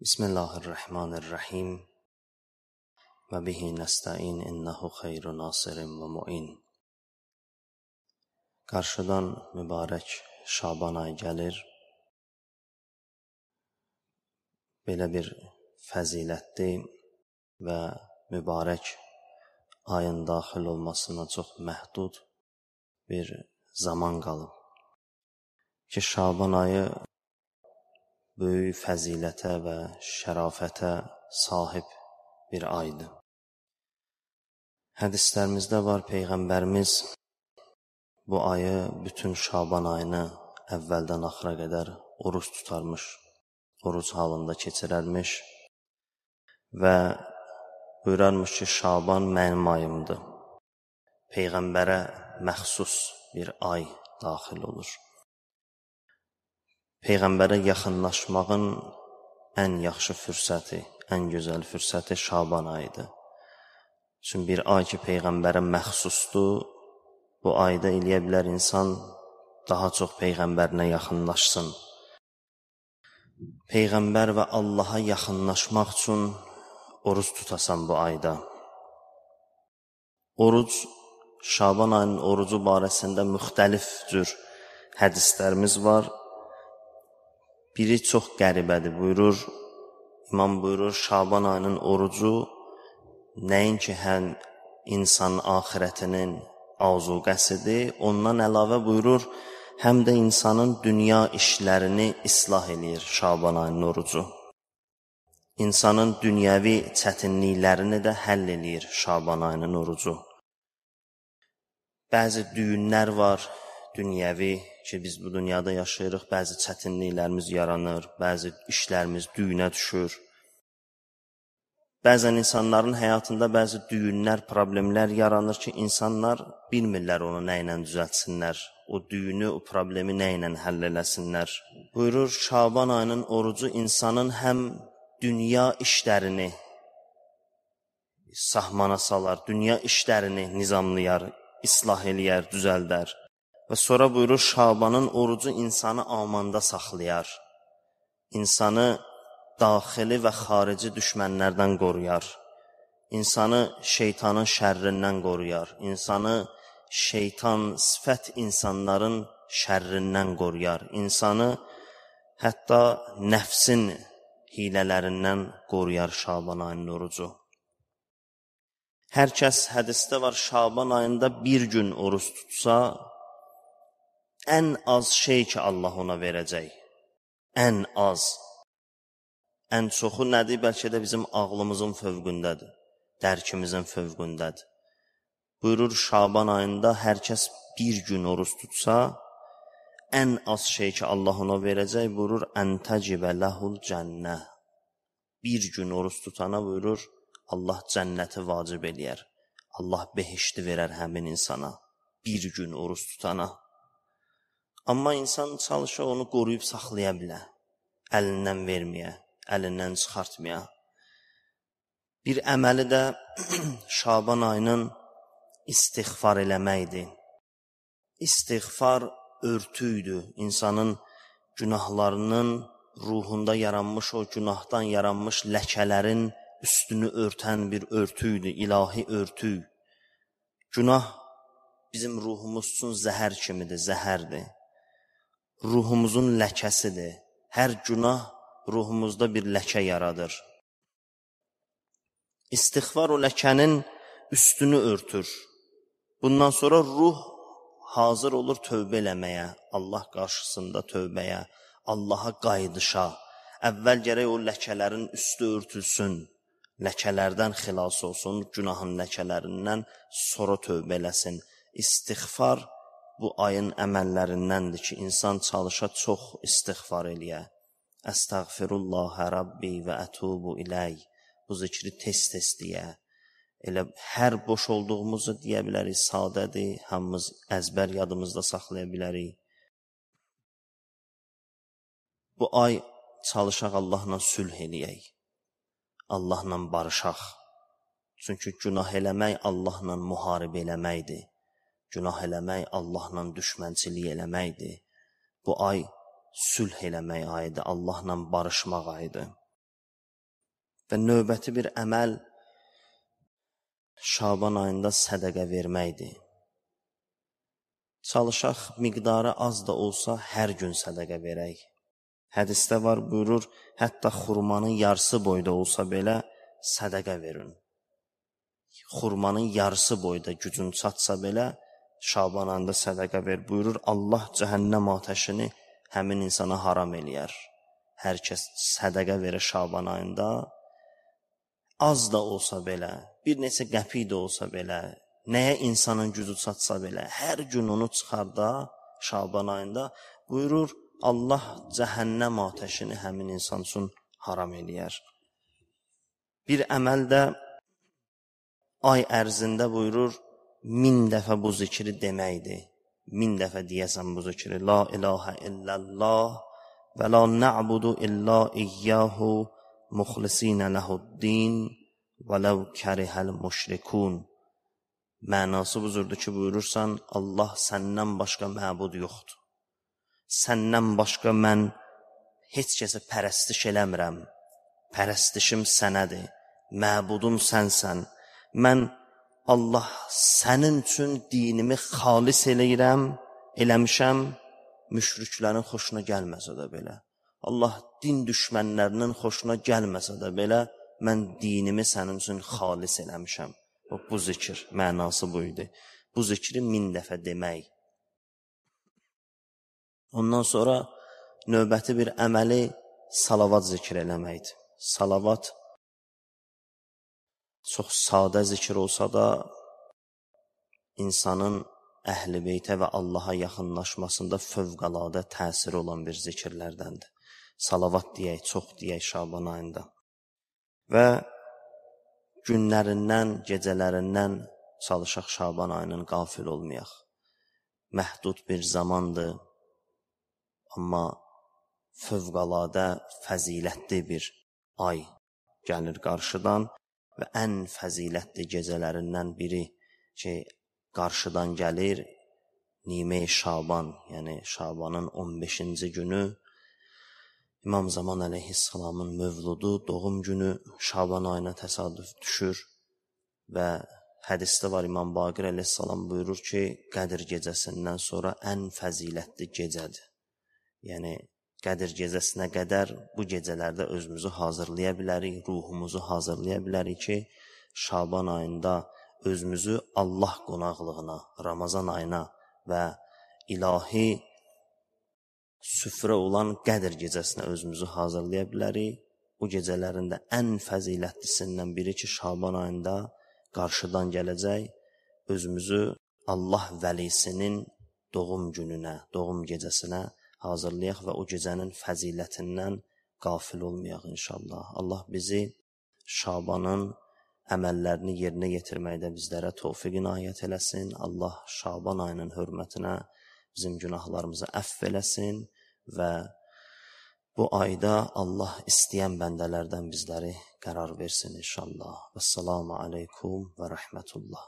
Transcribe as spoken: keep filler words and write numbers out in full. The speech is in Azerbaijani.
Bismillahirrahmanirrahim və bihi nəstəin innəhu xeyru nasirin və mu'in. Qarşıdan mübarək Şaban ayı gəlir. Belə bir fəzilətli və mübarək ayın daxil olmasına çox məhdud bir zaman qalıb. Ki Şaban ayı böyük fəzilətə və şərafətə sahib bir aydır. Hədislərimizdə var, Peyğəmbərimiz bu ayı, bütün Şaban ayını əvvəldən axıra qədər oruç tutarmış, oruc halında keçirərmiş və buyurarmış ki, Şaban mənim ayımdır. Peyğəmbərə məxsus bir ay daxil olur. Peyğəmbərə yaxınlaşmağın ən yaxşı fürsəti, ən gözəl fürsəti Şaban ayıdır. Çünki bir ay ki, Peyğəmbərə məxsusdur, bu ayda eləyə bilər insan daha çox Peyğəmbərinə yaxınlaşsın. Peyğəmbər və Allaha yaxınlaşmaq üçün oruc tutasan bu ayda. Oruc, Şaban ayının orucu barəsində müxtəlif cür hədislərimiz var. Biri çox qəribədir, buyurur, İmam buyurur, Şaban ayının orucu nəinki həm insan axirətinin azuqəsidir, ondan əlavə buyurur, həm də insanın dünya işlərini islah eləyir Şaban ayının orucu. İnsanın dünyəvi çətinliklərini də həll eləyir Şaban ayının orucu. Bəzi düyünlər var, dünyəvi ki, biz bu dünyada yaşayırıq, bəzi çətinliklərimiz yaranır, bəzi işlərimiz düyünə düşür. Bəzən insanların həyatında bəzi düyünlər, problemlər yaranır ki, insanlar bilmirlər onu nə ilə düzəltsinlər, o düyünü, o problemi nə ilə həll eləsinlər. Buyurur, Şaban ayının orucu insanın həm dünya işlərini sahmana salar, dünya işlərini nizamlayar, islah eləyər, düzəldər. Və sonra buyurur, Şabanın orucu insanı amanda saxlayar. İnsanı daxili və xarici düşmənlərdən qoruyar. İnsanı şeytanın şərrindən qoruyar. İnsanı şeytan, sifət insanların şərrindən qoruyar. İnsanı hətta nəfsin hilələrindən qoruyar Şaban ayının orucu. Hər kəs hədisdə var, Şaban ayında bir gün oruç tutsa, ən az şey ki, Allah ona verəcək. Ən az. Ən çoxu nədir? Bəlkə də bizim ağlımızın fövqündədir, dərkimizin fövqündədir. Buyurur, Şaban ayında hər kəs bir gün oruç tutsa, ən az şey ki, Allah ona verəcək, buyurur, əntəcibə ləhul cənnə. Bir gün oruç tutana buyurur, Allah cənnəti vacib eləyər. Allah behişti verər həmin insana, bir gün oruç tutana. Amma insan çalışa onu qoruyub saxlaya bilər, əlindən verməyə, əlindən çıxartmaya. Bir əməli də Şaban ayının istiğfar eləməkdir. İstiğfar örtüydür, insanın günahlarının ruhunda yaranmış, o günahdan yaranmış ləkələrin üstünü örtən bir örtüydür, ilahi örtü. Günah bizim ruhumuz üçün zəhər kimidir, zəhərdir. Ruhumuzun ləkəsidir. Hər günah ruhumuzda bir ləkə yaradır. İstiğfar o ləkənin üstünü örtür. Bundan sonra ruh hazır olur tövbə eləməyə, Allah qarşısında tövbəyə, Allaha qayıdışa. Əvvəl gərək o ləkələrin üstü örtülsün, ləkələrdən xilas olsun, günahın ləkələrindən sonra tövbə eləsin. İstiğfar bu ayın əməllərindəndir ki, insan çalışa çox istiğfar eləyə. Əstəğfirullahə Rabbi və ətubu iləy. Bu zikri tez-tez deyə. Elə hər boş olduğumuzu deyə bilərik, sadədir, hamımız əzbər yadımızda saxlaya bilərik. Bu ay çalışaq Allahla sülh eləyək, Allahla barışaq. Çünki günah eləmək Allahla müharibə eləməkdir. Günah eləmək Allahla düşmənçilik eləməkdir. Bu ay sülh eləmək ayıdır, Allahla barışmaq ayıdır. Və növbəti bir əməl Şaban ayında sədəqə verməkdir. Çalışaq miqdarı az da olsa hər gün sədəqə verək. Hədisdə var, buyurur, hətta xurmanın yarısı boyda olsa belə sədəqə verin. Xurmanın yarısı boyda gücün çatsa belə Şaban ayında sədəqə ver. Buyurur, Allah cəhənnəm atəşini həmin insana haram eləyər. Hər kəs sədəqə verir Şaban ayında, az da olsa belə, bir neçə qəpik də olsa belə, nəyə insanın gücü çatsa belə, hər gün onu çıxarda Şaban ayında, buyurur, Allah cəhənnəm atəşini həmin insan üçün haram eləyər. Bir əməl də ay ərzində buyurur, min dəfə bu zikri deməkdir. Min dəfə deyəsən bu zikri. La ilahə illallah və la na'budu illa iyyahu muxlisinə lehu'd-din və ləv kərihəl müşrikun. Mənası buzurdur ki, buyurursan, Allah səndən başqa məbud yoxdur. Səndən başqa mən heç kəsə pərəstiş eləmirəm. Pərəstişim sənədir. Məbudum sənsən. Mən Allah sənin üçün dinimi xalis eləyirəm, eləmişəm, müşriklərin xoşuna gəlməsə də belə. Allah din düşmənlərinin xoşuna gəlməsə də belə, mən dinimi sənin üçün xalis eləmişəm. Bu zikir, mənası buydu. Bu zikri min dəfə demək. Ondan sonra növbəti bir əməli salavat zikr eləməkdir. Salavat çox sadə zikr olsa da insanın əhl-i beytə və Allaha yaxınlaşmasında fövqəladə təsiri olan bir zikirlərdəndir. Salavat deyək, çox deyək Şaban ayında. Və günlərindən, gecələrindən çalışaq Şaban ayının qafil olmayaq. Məhdud bir zamandır, amma fövqəladə fəzilətli bir ay gəlir qarşıdan və ən fəzilətli gecələrindən biri ki, qarşıdan gəlir, Nime-i Şaban, yəni Şabanın on beşinci günü, İmam Zaman əleyhissalamın mövludu, doğum günü Şaban ayına təsadüf düşür və hədisdə var, İmam Baqir əleyhissalam buyurur ki, Qədir gecəsindən sonra ən fəzilətli gecədir. Yəni, Qədir gecəsinə qədər bu gecələrdə özümüzü hazırlaya bilərik, ruhumuzu hazırlaya bilərik ki, Şaban ayında özümüzü Allah qonaqlığına, Ramazan ayına və ilahi süfrə olan Qədir gecəsinə özümüzü hazırlaya bilərik. Bu gecələrində ən fəzilətlisindən biri ki, Şaban ayında qarşıdan gələcək, özümüzü Allah vəlisinin doğum gününə, doğum gecəsinə hazırlayaq və o gecənin fəzilətindən qafil olmayaq inşallah. Allah bizi Şabanın əməllərini yerinə yetirməkdə bizlərə tövfiq inayət eləsin. Allah Şaban ayının hörmətinə bizim günahlarımızı əfv eləsin və bu ayda Allah istəyən bəndələrdən bizləri qərar versin inşallah. Vəssalamu aleykum və rəhmətullah.